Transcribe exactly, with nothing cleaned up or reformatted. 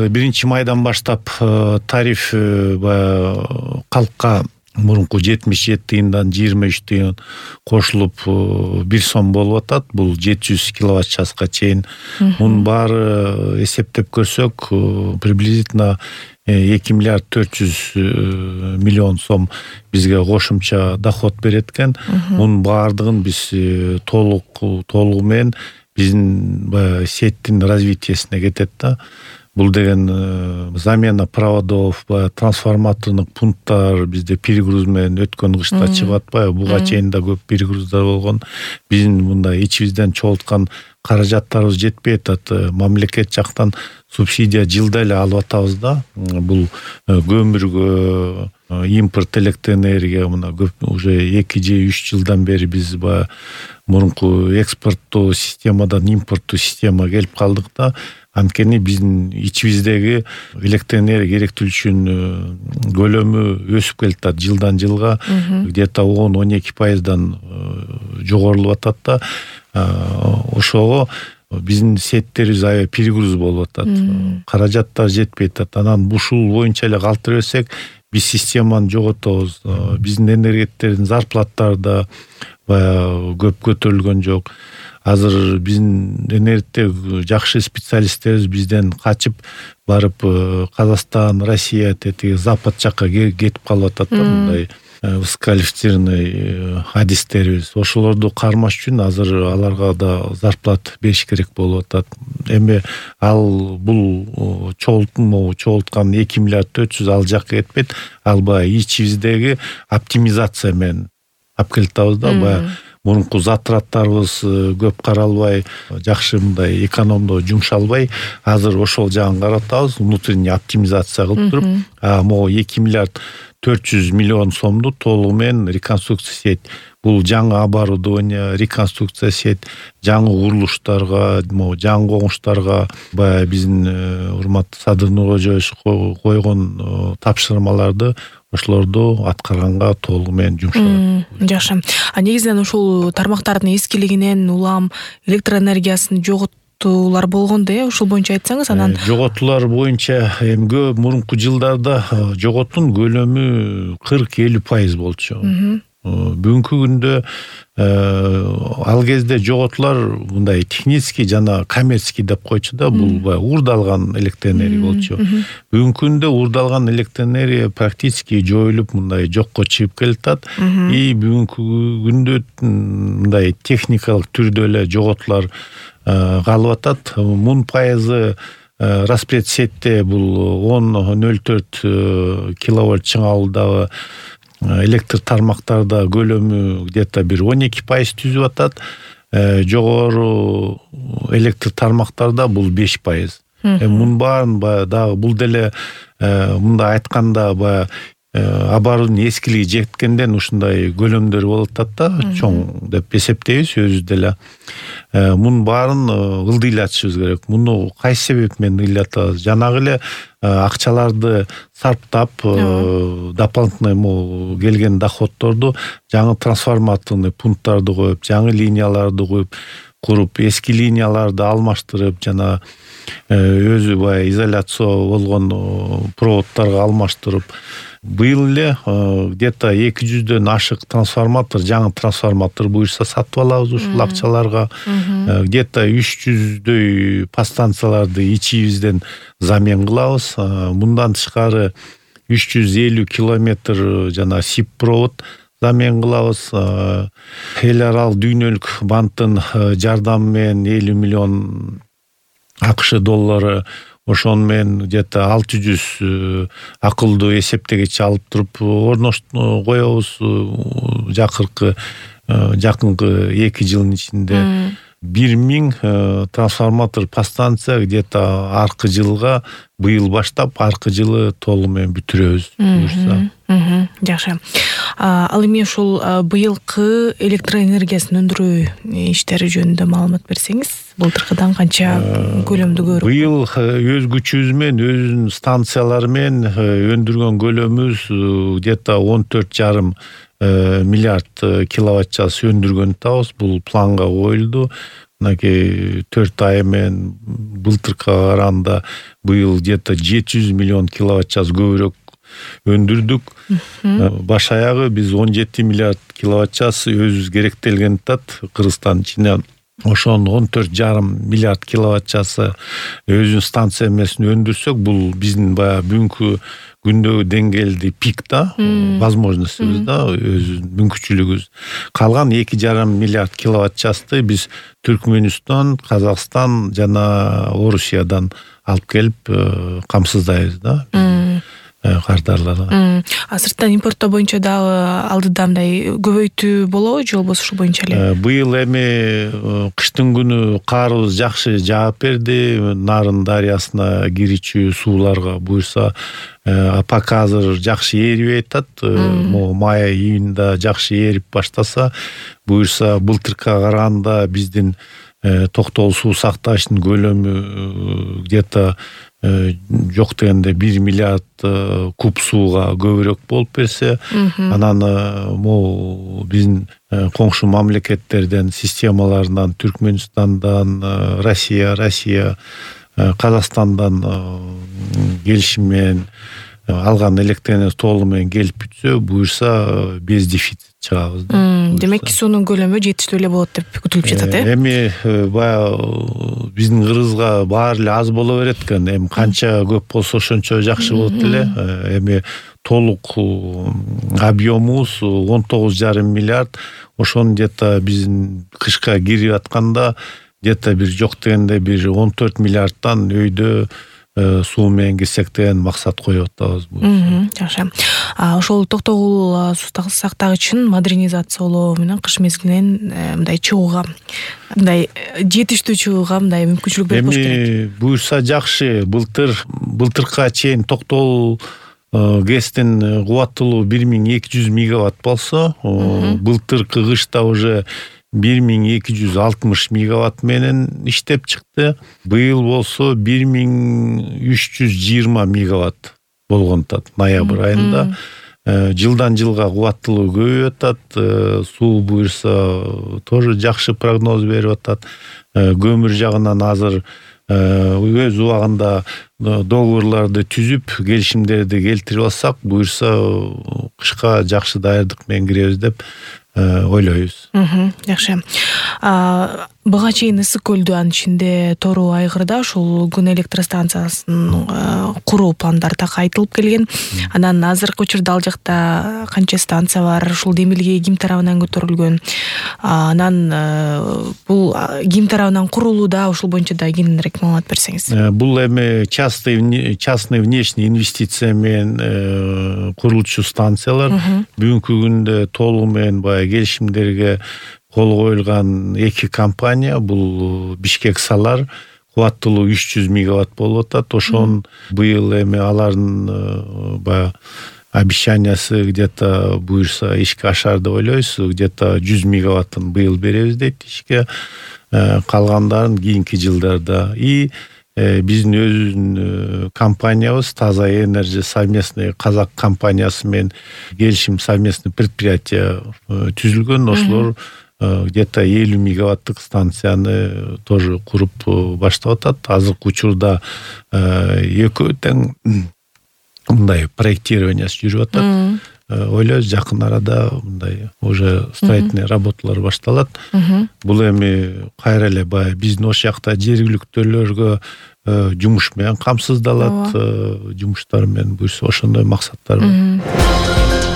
биринчи майдан баштап тариф баягы калкка мурунку жетимиш жети тыйындан жыйырма үч тыйын кошулуп бир сом болуп атат. Бул жети жүз киловатт часка чейин. Мунун баары эсептеп көрсөк, приблизительно эки миллиард төрт жүз миллион сом бизге кошумча доход берет экен. Мунун баардыгын биз толук толугу менен биздин баягы сеттин развитиесине кетет да. Бул деген замена проводов, трансформатордук пункттар бизде перегруз менен өткөн кышта чыгып атпайбы? Буга чейин да көп перегруздар болгон. Биздин мындай ичибизден чогулткан каражаттарыбыз жетпей атат. Мамлекет жактан субсидия жылда эле алып атабыз да. Бул көмүргө, импорт электроэнергия мына көп уже эки же үч жылдан бери биз баягы мурунку экспорттуу системадан импорттуу системага келип калдык да. Анткени биздин ичибиздеги электроэнергия керектүүлүгүнүн көлөмү өсүп келатат жылдан жылга, где-то он он эки пайыздан жогорулуп атат да. Ошого биздин сеттерибиз аябай перегруз болуп атат. Каражаттар жетпей атат. Анан ушул боюнча эле калтыра берсек, биз системаны жоготобуз. Биздин энергеттердин зарплаттары да баягы көп көтөрүлгөн жок. Азыр биздин энергетте жакшы специалисттерибиз бизден качып барып Казакстан, Россия, тетиги Запад жакка кетип калып атат да, мындай высококвалифицированный адистерибиз. Ошолорду кармаш үчүн азыр аларга да зарплат бериш керек болуп атат. Эми ал бул чогултмоо чогулткан эки миллиард төрт жүз ал жакка кетпейт. Ал баягы ичибиздеги оптимизация менен алып келатабыз да. Баягы мурунку затраттарыбыз көп каралбай, жакшы мындай экономдоо жумшалбай, азыр ошол жагын каратабыз, внутренний оптимизация кылып туруп, а могу эки миллиард төрт жүз миллион сомду толугу менен реконструкция сеть. Бул жаңы оборудование, реконструкция сеть, жаңы курулуштарга, могу жаңы коңуштарга баягы биздин урматтуу Садыр Нуркожоевич койгон тапшырмаларды ошолорду аткарганга толугу менен жумшалат. Жакшы. А негизинен ушул тармактардын эскилигинен улам электроэнергиясын жоготуулар болгондо, э, ушул боюнча айтсаңыз, анан жоготуулар боюнча эмгө мурунку жылдарда жоготтун көлөмү кырк элүү пайыз болчу. Бүгүнкү күндө ал кезде жоготуулар мындай технический жана коммерческий деп койчу да, бул уурдалган электроэнергия болчу. Бүгүнкү күндө уурдалган электроэнергия практически жоюлуп мындай жокко чыгып келатат. И бүгүнкү күндө мындай техникалык түрдө эле жоготуулар калып атат. Мун пайызы распред сетте бул он ноль төрт киловольт чыңалуудагы электр тармактарда көлөмү где-то бир он эки пайыз түзүп атат. Жогору электр тармактарда бул беш пайыз. Мунун баарын дагы бул деле мындай айтканда баягы абарынын эскилиги жеткенден ушундай көлөмдөр болуп атат да, чоң деп эсептейбиз өзүбүз деле. Мунун баарын ылдыйлатышыбыз керек. Муну кайсы себеп менен ылдыйлатабыз? Жанагы эле акчаларды сарптап, дополнительный келген доходторду жаңы трансформаторный пункттарды коюп, жаңы линияларды коюп, куруп, эски линияларды алмаштырып, жана өзү баягы изоляция болгон проводторго алмаштырып, быйыл эле где-то эки жүздөн ашык трансформатор, жаңы трансформатор буюрса сатып алабыз ушул акчаларга. Где-то үч жүздөй подстанцияларды ичибизден замен кылабыз. Мындан тышкары үч жүз элүү километр жана сип провод замен кылабыз. Эл аралык дүйнөлүк банктын жардамы менен элүү миллион АКШ доллары, ошону менен где-то алты жүз акылдуу эсептегич алып туруп орноштуруп коебуз. Жакыркы жакынкы эки жылдын ичинде бир миң трансформатор подстанция где-то аркы жылга, быйыл баштап аркы жылы толугу менен бүтүрөбүз буюрса. Жакшы. Ал эми ушул быйылкы электроэнергиясын өндүрүү иштери жөнүндө маалымат берсеңиз, былтыркыдан канча көлөмдү көрүп? Быйыл өз күчүбүз менен, өзүнүн станциялары менен өндүргөн көлөмүбүз где-то он төрт жарым миллиард киловатт час өндүргөн атабыз. Бул планга коюлду. мынакей төрт ай менен былтыркыга караганда быйыл где-то жети жүз миллион киловатт час көбүрөөк өндүрдүк. Баш аягы биз он жети миллиард киловатт час өзүбүз керектелген атат Кыргызстан ичинен. Ошону он төрт жарым миллиард киловатт часы өзүнүн станция эмесин өндүрсөк, бул биздин баягы бүгүнкү күндөгү деңгээлди пик да, возможностьбиз да, өзүбүздүн мүмкүнчүлүгүбүз. Калган эки жарым миллиард киловатт часты биз Түркмөнстан, Казакстан жана Орусиядан алып келип камсыздайбыз да. Кардарларга. А сырттан импорттоо боюнча дагы алдыда мындай көбөйтүү болобу же болбосо ушул боюнча эле? Быйыл эми кыштын күнү каарыбыз жакшы жаап берди. Нарын дарыясына кирүүчү сууларга буюрса пока азыр жакшы ээрибей атат. Могу май июнда жакшы ээрип баштаса, буюрса былтыркыга караганда биздин токтогул суу сакташтын көлөмү где-то жок дегенде бир миллиард куб сууга көбүрөөк болуп берсе, анан могу биздин коңшу мамлекеттерден, системаларынан, Түркмөнстандан, Россия, Россия, Казакстандан келишим менен алган электр энергиясы толугу менен келип бүтсө, буюрса без дефицит чыгабыз. Демек суунун көлөмү жетиштүү эле болот деп күтүлүп жатат, э? Эми баягы биздин Кыргызга баары эле аз боло берет экен. Эми канча көп болсо ошончо жакшы болот эле. Эми толук объемубуз он тогуз жарым миллиард. Ошону где-то биздин кышка кирип атканда где-то бир жок дегенде бир он төрт миллиардтан өйдө суу менен кирсек деген максат коюп атабыз. Жакшы. Ошол токтогул суу сактагычын модернизациялоо менен кыш мезгилинен мындай чыгууга, мындай жетиштүү чыгууга мындай мүмкүнчүлүк берип болуш керек. Эми буюрса жакшы. Былтыр былтыркыга чейин токтогул гэстин кубаттуулугу бир миң эки жүз мегаватт болсо, былтыркы кышта уже бир миң эки жүз алтымыш мегаватт менен иштеп чыкты. Быйыл болсо бир миң үч жүз жыйырма мегаватт болгон атат ноябрь айында. Жылдан жылга кубаттуулугу көбөйүп атат. Суу буюрса тоже жакшы прогноз берип атат. Көмүр жагынан азыр өз убагында договорларды түзүп, келишимдерди келтирип алсак, буюрса кышка жакшы даярдык менен киребиз деп ойлойбуз. Жакшы. Буга чейин Ысык көлдү, анын ичинде Тору айгырда ушул күн электростанциясын куруу пландары так айтылып келген. Анан азыркы учурда ал жакта канча станция бар, ушул демилге ким тарабынан көтөрүлгөн? Анан бул ким тарабынан курулууда, ушул боюнча да кененирээк маалымат берсеңиз. Бул эми частный частный внешний инвестиция менен курулчу станциялар. Бүгүнкү күндө толугу менен баягы келишимдерге кол коюлган эки компания, бул Бишкек Салар, кубаттуулугу үч жүз мегаватт болуп атат. Ошон быйыл эми алардын баягы обещаниясы где-то буюрса ишке ашар деп ойлойбуз. Где-то жүз мегаваттын быйыл беребиз дейт ишке. Калгандарын кийинки жылдарда. И биздин өзүбүздүн компаниябыз Таза Энерджи совместный казак компаниясы менен келишим совместный предприятие түзүлгөн. Ошолор где-то элүү мегаваттык станцияны тоже куруп баштап атат. Азыркы учурда экөө тең мындай проектированиясы жүрүп атат. Ойлойбуз жакын арада мындай уже строительный работалар башталат. Бул эми кайра эле баягы биздин ош жакта жергиликтүүлөргө жумуш менен камсыздалат, жумуштар менен буюрса ошондой максаттар бар.